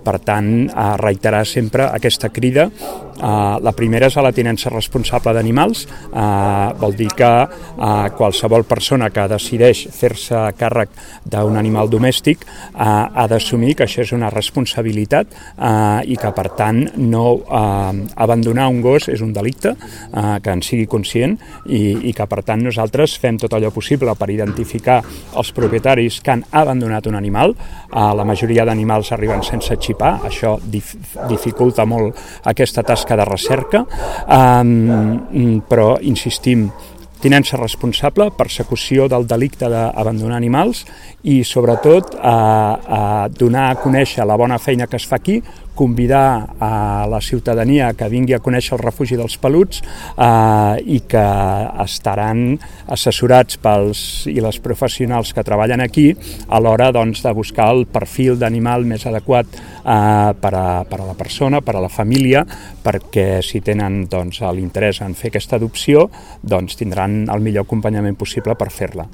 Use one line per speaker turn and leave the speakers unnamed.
Per tant, reiterar sempre aquesta crida. La primera és a la tinença responsable d'animals, vol dir que qualsevol persona que decideix fer-se càrrec d'un animal domèstic ha d'assumir que això és una responsabilitat i que per tant no abandonar un gos és un delicte, que en sigui conscient i que per tant nosaltres fem tot allò possible per identificar els propietaris que han abandonat un animal. La majoria d'animals arriben sense xipar, això dificulta molt aquesta tasca de recerca, però insistim, tinença responsable, persecució del delicte d'abandonar animals i sobretot donar a conèixer la bona feina que es fa aquí, convidar a la ciutadania que vingui a conèixer el refugi dels peluts i que estaran assessorats pels i les professionals que treballen aquí a l'hora doncs, de buscar el perfil d'animal més adequat per a la persona, per a la família, perquè si tenen doncs, l'interès en fer aquesta adopció doncs, tindran el millor acompanyament possible per fer-la.